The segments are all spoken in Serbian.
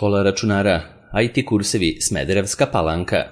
Škola računara, IT kursevi Smederevska Palanka.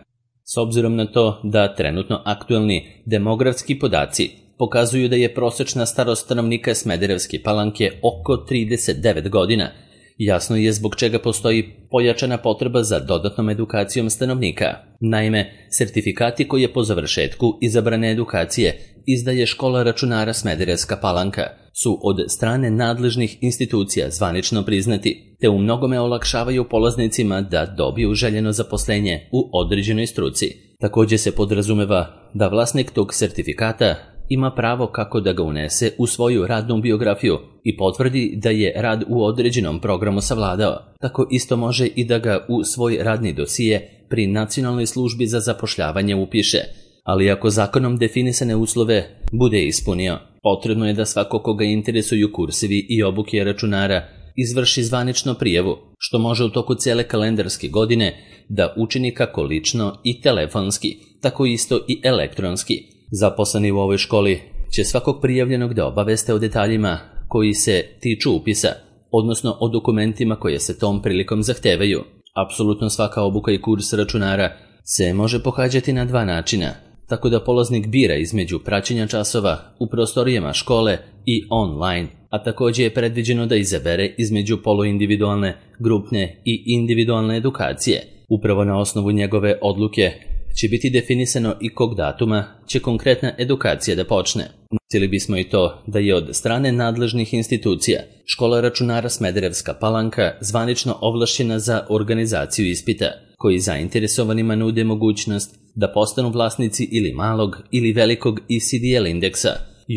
S obzirom na to da trenutno aktuelni demografski podaci pokazuju da je prosečna starost stanovnika Smederevske Palanke oko 39 godina, jasno je zbog čega postoji pojačana potreba za dodatnom edukacijom stanovnika. Naime, sertifikati koje po završetku izabrane edukacije izdaje Škola računara Smederevska Palanka su od strane nadležnih institucija zvanično priznati, te u mnogome olakšavaju polaznicima da dobiju željeno zaposlenje u određenoj struci. Također se podrazumeva da vlasnik tog sertifikata ima pravo kako da ga unese u svoju radnu biografiju i potvrdi da je rad u određenom programu savladao. Tako isto može i da ga u svoj radni dosije pri Nacionalnoj službi za zapošljavanje upiše. Ali ako zakonom definisane uslove bude ispunio, potrebno je da svako koga interesuju kursevi i obuke računara izvrši zvanično prijavu, što može u toku cele kalendarske godine da učini kako lično i telefonski, tako isto i elektronski. Zaposleni u ovoj školi će svakog prijavljenog da obaveste o detaljima koji se tiču upisa, odnosno o dokumentima koje se tom prilikom zahtevaju. Apsolutno svaka obuka i kurs računara se može pohađati na dva načina, tako da polaznik bira između praćenja časova u prostorijama škole i online, a također je predviđeno da izabere između poluindividualne, grupne i individualne edukacije. Upravo na osnovu njegove odluke će biti definisano i kog datuma će konkretna edukacija da počne. Htjeli bismo i to da je od strane nadležnih institucija Škola računara Smederevska Palanka zvanično ovlašćena za organizaciju ispita, koji zainteresovanima nude mogućnost da postanu vlasnici ili malog ili velikog ECDL indeksa,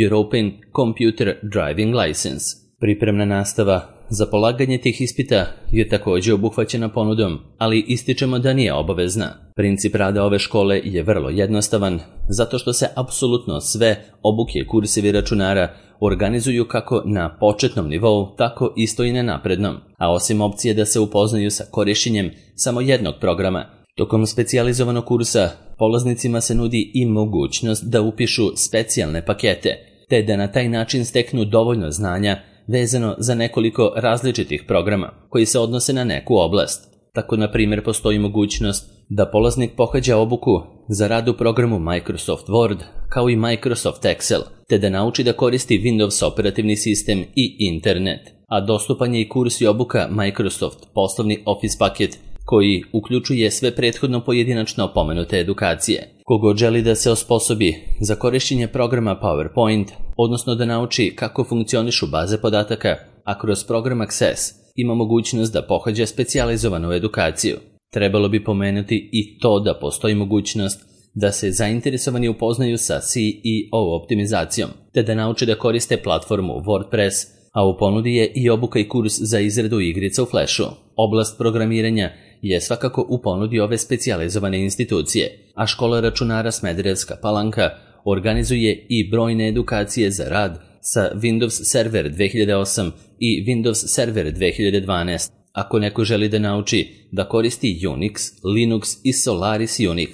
European Computer Driving License. Pripremna nastava za polaganje tih ispita je također obuhvaćena ponudom, ali ističemo da nije obavezna. Princip rada ove škole je vrlo jednostavan, zato što se apsolutno sve obuke kursevi računara organizuju kako na početnom nivou, tako isto i na naprednom, a osim opcije da se upoznaju sa korišćenjem samo jednog programa, tokom specijalizovanog kursa polaznicima se nudi i mogućnost da upišu specijalne pakete, te da na taj način steknu dovoljno znanja vezano za nekoliko različitih programa koji se odnose na neku oblast. Tako, na primjer, postoji mogućnost da polaznik pohađa obuku za rad u programu Microsoft Word kao i Microsoft Excel, te da nauči da koristi Windows operativni sistem i internet, a dostupan je i kurs i obuka Microsoft poslovni Office paket koji uključuje sve prethodno pojedinačno pomenute edukacije. Kogod želi da se osposobi za korišćenje programa PowerPoint, odnosno da nauči kako funkcionišu baze podataka, a kroz program Access ima mogućnost da pohađa specijalizovanu edukaciju. Trebalo bi pomenuti i to da postoji mogućnost da se zainteresovani upoznaju sa SEO optimizacijom, te da nauče da koriste platformu WordPress, a u ponudi je i obuka i kurs za izradu igrica u Flashu. Oblast programiranja je svakako u ponudi ove specijalizovane institucije, a Škola računara Smederevska Palanka organizuje i brojne edukacije za rad sa Windows Server 2008 i Windows Server 2012. Ako neko želi da nauči da koristi Unix, Linux i Solaris Unix,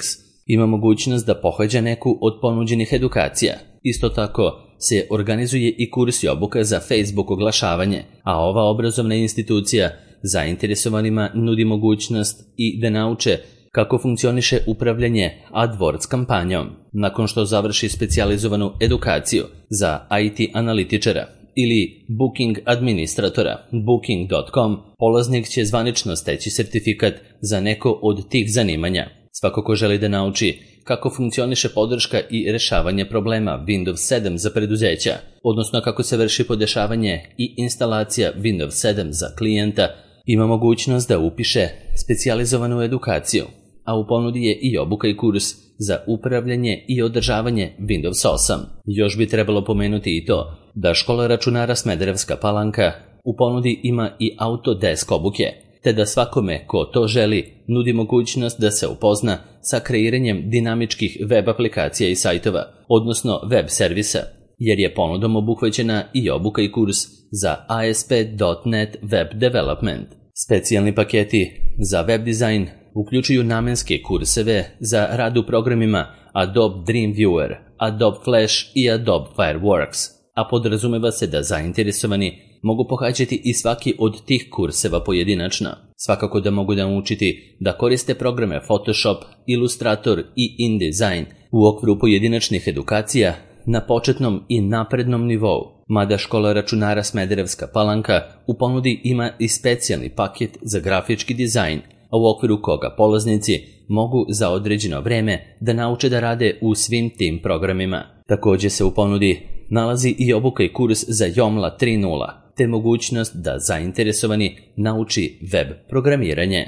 ima mogućnost da pohađa neku od ponuđenih edukacija. Isto tako se organizuje i kurs i obuka za Facebook oglašavanje, a ova obrazovna institucija zainteresovanima nudi mogućnost i da nauče kako funkcioniše upravljanje AdWords kampanjom. Nakon što završi specijalizovanu edukaciju za IT analitičara ili Booking administratora Booking.com, polaznik će zvanično steći sertifikat za neko od tih zanimanja. Svako ko želi da nauči kako funkcioniše podrška i rešavanje problema Windows 7 za preduzeća, odnosno kako se vrši podešavanje i instalacija Windows 7 za klijenta, ima mogućnost da upiše specijalizovanu edukaciju, a u ponudi je i obuka i kurs za upravljanje i održavanje Windows 8. Još bi trebalo pomenuti i to da Škola računara Smederevska Palanka u ponudi ima i Autodesk obuke, te da svakome ko to želi nudi mogućnost da se upozna sa kreiranjem dinamičkih web aplikacija i sajtova, odnosno web servisa, jer je ponudom obuhvaćena i obuka i kurs za ASP.NET Web Development. Specijalni paketi za web dizajn uključuju namenske kurseve za rad u programima Adobe Dreamweaver, Adobe Flash i Adobe Fireworks, a podrazumeva se da zainteresovani mogu pohađati i svaki od tih kurseva pojedinačno. Svakako da mogu naučiti da koriste programe Photoshop, Illustrator i InDesign u okviru pojedinačnih edukacija na početnom i naprednom nivou, mada škola računara Smederevska Palanka u ponudi ima i specijalni paket za grafički dizajn, a u okviru koga polaznici mogu za određeno vreme da nauče da rade u svim tim programima. Također se u ponudi nalazi i obuka i kurs za Joomla 3.0, te mogućnost da zainteresovani nauči web programiranje.